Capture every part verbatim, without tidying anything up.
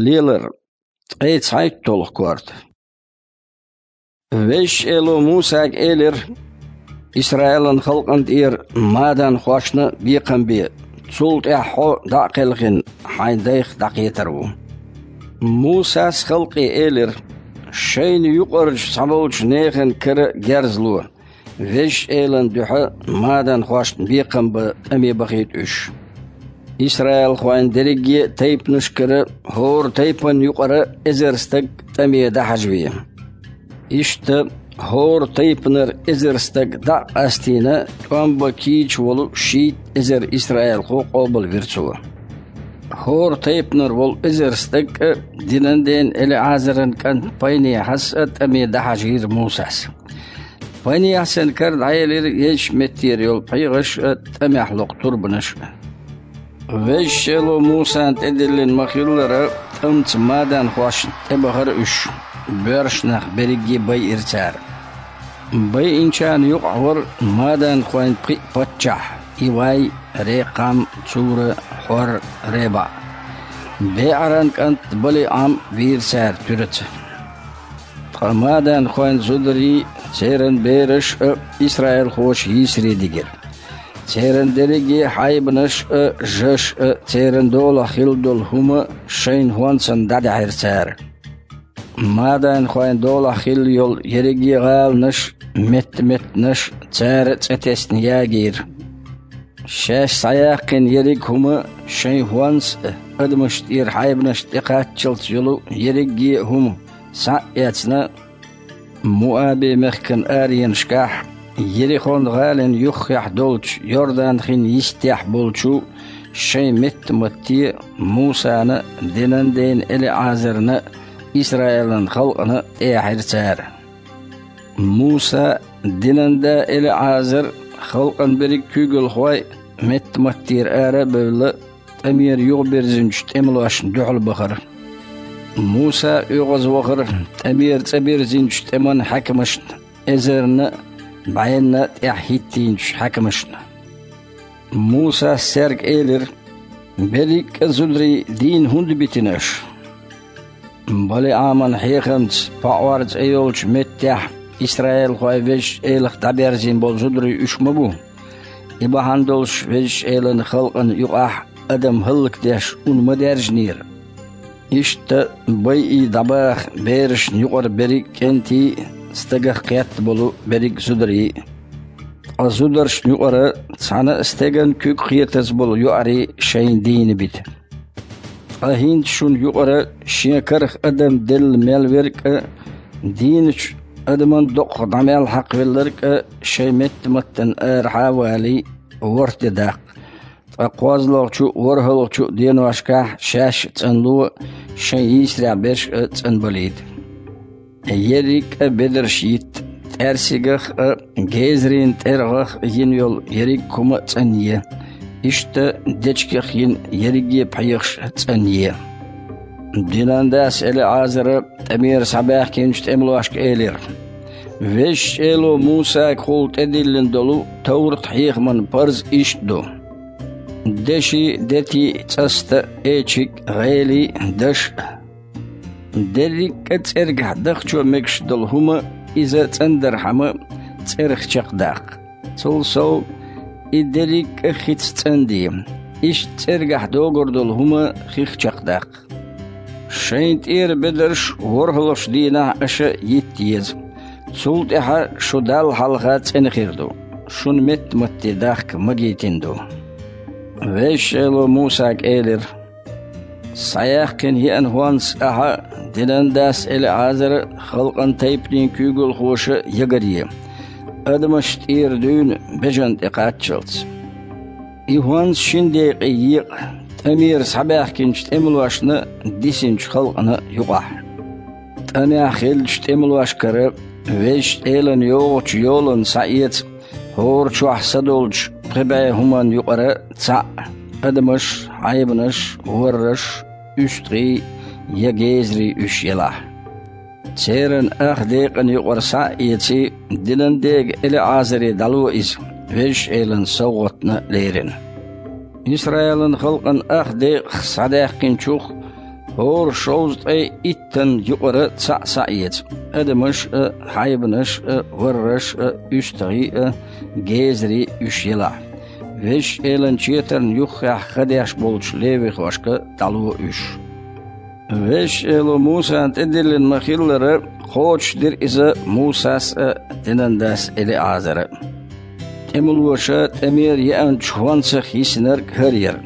Лелар, ткъе цхьайтталгӀа корта. Везачу Эло Мусага элира: «Исраилан халкъана тӀера маданхошна бекхам бе, цул тӀаьхьа хьо, дӀа а кхелхина, хьайн дайх дӀакхетар ву». Мусас халкъе элира: «Шайна юкъарчу цхьаболчу нехан кара герз ло, Везачу Элана дуьхьа маданхошна бекхам бан тӀаме бахийта уьш. Исраилхойн дерриге а тайпанашкара хӀора тайпанна юкъара эзар стаг тӀаме дӀахьажаве». Иштта хӀора тайпанара эзар стаг дӀа а къастийна, тӀом бан кийча волу шийтта эзар исраилхо къобалвира цо. ХӀора тайпанара волу эзар стаг а, динан ден ЭлиӀазаран кӀант Пайнехьас а тӀаме дӀахьажийра Мусас. Пайнехьасан кара дӀаелира езачу меттера йолу пхьегӀаш а, тӀамехь локху турбанаш а. Везачу Эло Мусана тӀедиллина ма-хиллара, тӀамца маданхошна тӀебахара уьш, боьршнах берриге байира цара. Байинчарна юкъахь вара маданхойн пхиъ паччахь: Ивай, Рекхам, Цура, Хьор, РебаӀ. БеӀаран кӀант БалиӀам вийра цара туьраца. Ткъа маданхойн зударий, церан бераш а исраилхоша йийсаре дигира. Церан дерриге а хьайбанаш а, жаш а, церан долахь хилла долу хӀума шайна хӀонсана дӀадаьхьира цара. Маданхойн долахь хилла йолу ерриге а гӀаланаш, метта-меттанаш цара цӀе тесна ягийра. Шаьш схьаяьккхина ерриг а хӀума, шайн хӀонс а, адамашна тӀера хьайбанашна тӀекхаччалц йолу ерриге а хӀума схьа а эцна, Муаби-мехкан аренашкахь, Ерихон-гӀалин юххехь долчу Йордан-хин йистехь болчу шайн метта-матте Мусана, динан дена ЭлиӀазарна, Исраилан халкъана тӀеяхьира цара. Муса, динан да ЭлиӀазар, халкъан берриг куьйгалхой а метта-маттера ара а бевлла, тӀамера юхабирзинчу тӀемалошна дуьхьал бахара. Муса оьгӀазвахара тӀамера цӀа бирзинчу тӀеман хьаькамашна, эзарна а, бӀенна а тӀаьхьа хӀиттийначу хьаькамашна. Мусас цаьрга элира: «Берриг а зударий дийна хӀунда битина аша?» БалиӀаман хьехамца Паъор цӀе йолчу меттехь исраилхой Везачу Элах дӀаберзийна болу зударий уьш ма бу. И бахьана долуш Везачу Элан халкъана юкъахь адам хӀаллакдеш ун ма даьржинера. Иштта байий дӀабаха берашна юкъара берриг а кӀентий а стагах кхетта болу берриг а зударий а. Ткъа зударшна юкъара цхьана а стеган куьг кхетаза болу йоӀарий шайна дийна бита. Ткъа хӀинца шуна юкъара шен карах адам делла мел верг а, дийначу адаман доккхах дӀа мел хьакхавелларг а шайн метта-маттана арахьа а валий, ворхӀ де даккха. Ткъа кхозлагӀчу а, ворхӀалгӀачу а деношкахь шаьш а цӀанло, шайн йийсарехь берш а цӀанбалийта. Ерриг а бедарш йитта, тӀаьрсигах а, гезарийн тӀергӀах а йина йолу ерриг а хӀума а цӀанъе. Иштта дечигах йина ерриге а пхьегӀаш а цӀанъе. Динан дас ЭлиӀазара тӀамера схьабаьхкинчу тӀемалошка элира: «Везачу Эло Мусагахула тӀедиллина долу товрат-хьехаман парз иштта ду: деши, дети, цӀаста, эчиг, гӀели, даш а. Дерриг а цӀергахь дахчо мегаш долу хӀума иза цӀандархьама, цӀерах чекхдаккха. Цул сов, и дерриг а хица цӀанде, иштта цӀергахь догур долу хӀума хих чекхдаккха. Шайн тӀера бедарш ворхӀалгӀачу дийнахь аша йитта еза. Цул тӀаьхьа шу Далла хьалха цӀена хир ду, шуна метта-матте дахка магийтина ду». Везачу Эло Мусага элира: «Схьаяьккхина еана хӀонс ахьа а, динан дас ЭлиӀазара а, халкъан тайпанийн куьйгалхоша а ягаре, адамашна тӀера дуьйна бежана тӀекхаччалц. И хӀонс шина декъе екъа тӀамера схьабаьхкинчу тӀемалошна дисинчу халкъана юкъахь. ТӀамехь хиллачу тӀемалошкара Везачу Элана йогӀучу йолана схьаэца хӀора чохь са долчу пхи бӀе хӀуманна юкъара цхьаъ, адамаш, хьайбанаш, ворраш, уьстагӀий я гезарий уьш елахь. Церан ах декъана юкъара схьа а эций, динан дега ЭлиӀазаре дӀало иза, Везачу Элана совгӀатна лерина». Исраилан халкъан ах декъах схьадаьккхинчух хӀора шовзткъе иттан юкъара цхьаъ схьаэца, адамаш а, хьайбанаш а, варраш а, уьстагӀий а, гезарий а уьш елахь, Везачу Элан четарна юххехь ха деш болчу левихошка дӀало уьш. Везачу Эло Мусана тӀедиллина ма-хиллара, кхочушдира иза Мусас а, динан дас ЭлиӀазара а. ТӀемалоша тӀемера еанчу хӀонсах йисинарг хӀара яра: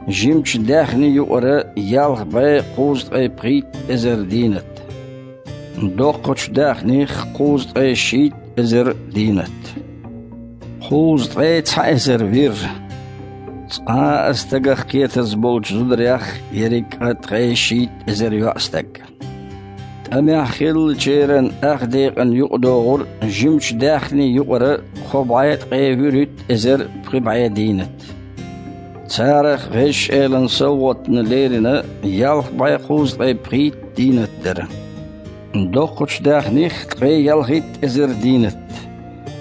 жимачу даьхни юкъара ялх бӀе кхузткъе пхийтта эзар дийнат, доккхачу даьхних кхузткъе шийтта эзар дийнат, кхузткъе цхьа эзар вир, цкъа а стагах кхетаза болчу зударех ерриг а ткъе шийтта эзар йоӀстаг. ТӀамехь хиллачеран ах декъана юкъадогӀура жимачу даьхни юкъара кхо бӀе ткъе вуьрхӀитта эзар пхи бӀе дийнат. Царах Везачу Элан совгӀатна лерина ялх бӀе кхузткъе пхийтта дийнат дара. Доккхачу даьхних ткъе ялхитта эзар дийнат.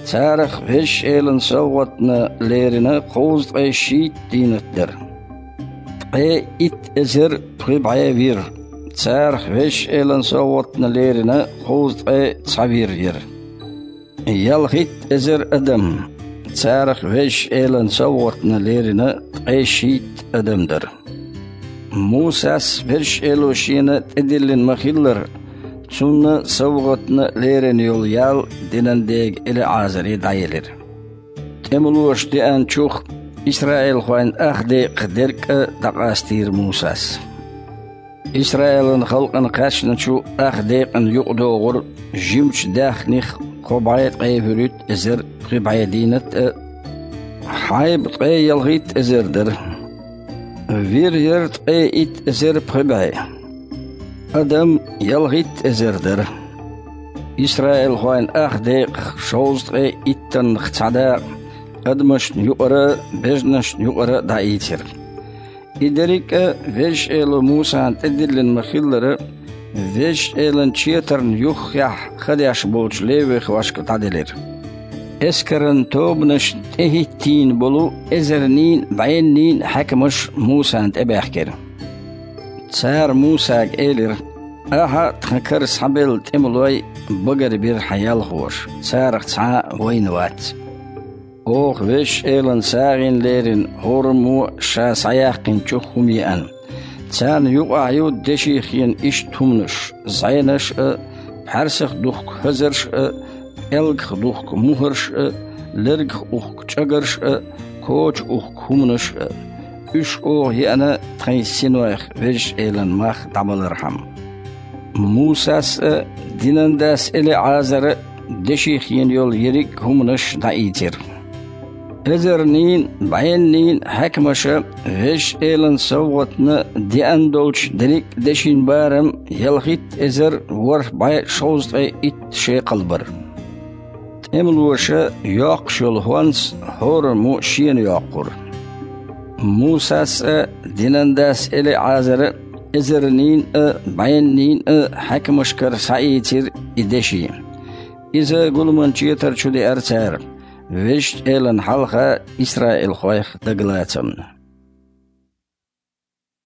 Царах Везачу Элан совгӀатна лерина кхузткъе шийтта дийнат дара. Ткъе итт эзар пхи бӀе вир. Царах Везачу Элан совгӀатна лерина кхузткъе цхьа вир яра. Ялхитта эзар адам. Царах Везачу Элан совгӀатна лерина ткъе шийтта адам дара. Мусас Везачу Эло шена тӀедиллина ма-хиллара, цунна совгӀатна лерина йолу ял динан дега ЭлиӀазаре дӀаелира. ТӀемалоша деанчух исраилхойн ах декъах дерг а дӀакъастийра Мусас. Исраилан халкъана кхаьчначу ах декъана юкъадогӀура жимачу даьхних кхо бӀе ткъе вуьрхӀитта эзар пхи бӀе дийнат а, хьайба ткъе ялхитта эзар дара. Вир яра ткъе итт эзар пхи бӀе. Адам ялхитта эзар дара. Исраилхойн ах декъах шовзткъе иттаннах цхьа дакъа адамашна юкъара а, бежанашна юкъара а дӀаийцира. И дерриг а Везачу Эло Мусана тӀедиллина ма-хиллара, Везачу Элан четарна юххехь ха деш болчу левихошка дӀаделира. Эскаран тобанашна тӀехӀиттийна болу эзарнийн а, бӀеннийн а хьаькамаш Мусана тӀебаьхкира. Цара Мусага элира: «Ахьа а тхан кара схьабелла тӀемалой багарбира хьан ялхоша, царах цхьа а вайна вац. Оха Везачу Элан сагӀина лерина хӀораммо а ша схьаяьккхинчух хӀума еана. Царна юкъахь ю деших йина иштта хӀуманаш: зӀенаш а, пхьаьрсах духку хазарш а, пӀелгах духку мухӀарш а, лергах ухку чӀагарш а, коча ухку хӀуманаш а. Уьш оха еана тхайн синойх Везачу Элан мах дӀабалархьама». Мусас а, динан дас ЭлиӀазара а деших йина йолу ерриг а хӀуманаш дӀаийцира. Эзарнийн а, бӀеннийн а хьаькамаша Везачу Элан совгӀатна деана долчу дерриг а дешин барам ялхитта эзар ворхӀ бӀе шовзткъе итт шекхал бара. ТӀемалоша йоккхуш йолу хӀонс хӀораммо шена йоккхура. Мусас а, динан дас ЭлиӀазара а эзарнийн а, бӀеннийн а хьаькамашкара схьаийцира и деши. Иза гуламан четар чу деара цара, Везачу Элана хьалха исраилхойх дагалацамна.